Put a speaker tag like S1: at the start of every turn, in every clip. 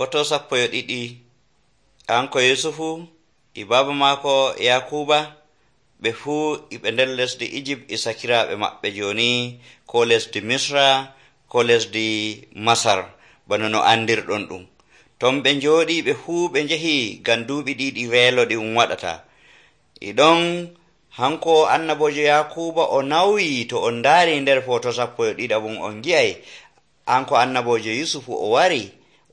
S1: Foto 12 kanko Yusufu e baba maako Yakuba ɓe fuu iɓe nder lesdi Egypt e sakiraaɓe maɓɓe joni, ko lesdi Misra ko lesdi Masar bana no andirɗon ɗum. Ton ɓe njooɗi ɓe fuu ɓe njehi ngam duuɓi ɗiɗi weelo ɗi waɗata. Iɗon hanko annabojo Yakuba o nawyi, to on ndaari nder foto 12 on gi'ay hanko annabojo Yusufu o wari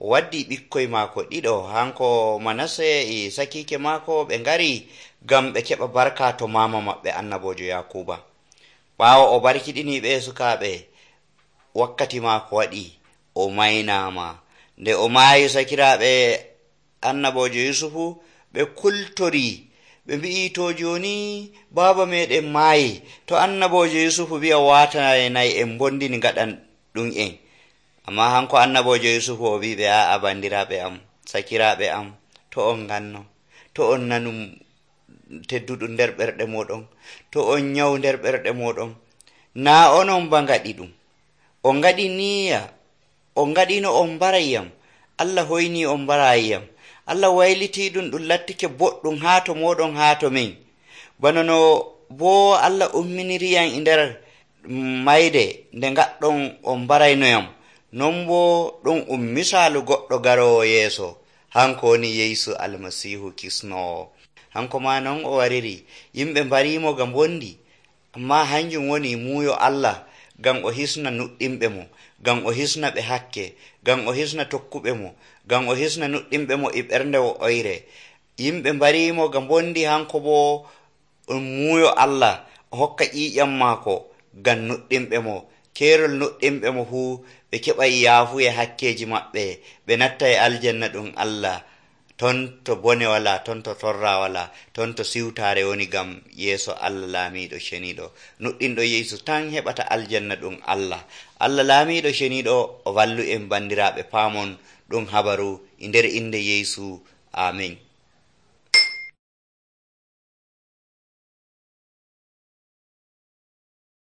S1: o waddi ɓikkoy maako ɗiɗo, hanko Manasse e sakiike maako ɓe ngari ngam ɓe keɓa barka to mama maɓɓe annabojo Yakuba. Ɓaawo o barkiɗini ɓe sukaaɓe, wakkati maako waɗi o maynama. Nde o maayi, sakiraaɓe annabojo Yusufu ɓe kultori ɓe mbi'i, to joni baaba meɗen maayi, to annabojo Yusufu wi'a watanay en bondini ngaɗan ɗum en. Amma hanko annabojo Yusufu o wiɓe, a'a bandiraɓe am, sakiraaɓe am, to on nganno, to on nanum tedduɗum nder ɓerɗe moɗon, to on nyaw nder ɓerɗe moɗon, na onon ba ngaɗi ɗum, on ngaɗi niyya, on ngaɗino on mbarayyam, Allah hoyni on mbarayyam, Allah wayliti ɗum lattike boɗɗum haa to moɗon haa to min. Bana no bo Allah umminiriyam e nder mayde nde ngaɗɗon on mbaraynoyam, non bo ɗum misalu goɗɗo garowo yeeso, hanko woni Yeesu almasihu kisnowo. Hanko ma non o wariri, yimɓe mbarimo ga bondi, amma hanjum woni muuyo Allah ngam o hisna nuɗɗinɓe mo, ngam o hisna ɓe hakke, ngam o hisna tokkuɓe mo, ngam o hisna nuɗɗinɓe mo e ɓernde oyre. Yimɓe mbarimo ga bondi, hanko bo muuyo Allah o hokka ƴiƴam maako ngam nuɗɗinɓe mo, keerol nuɗɗinɓe mo fuu ɓe keɓay yaafuye hakkeji maɓɓe, ɓe nattay aljanna ɗum Allah, ton to bone wala, ton to torra wala, ton to siwtare woni gam yeeso Allah laamiɗo ceniɗo. Nuɗɗinɗo Yeesu tan heɓata aljanna ɗum Allah. Allah laamiɗo ceniɗo o wallu en bandiraɓe paamon ɗum habaru e nder inde Yeesu. Amin.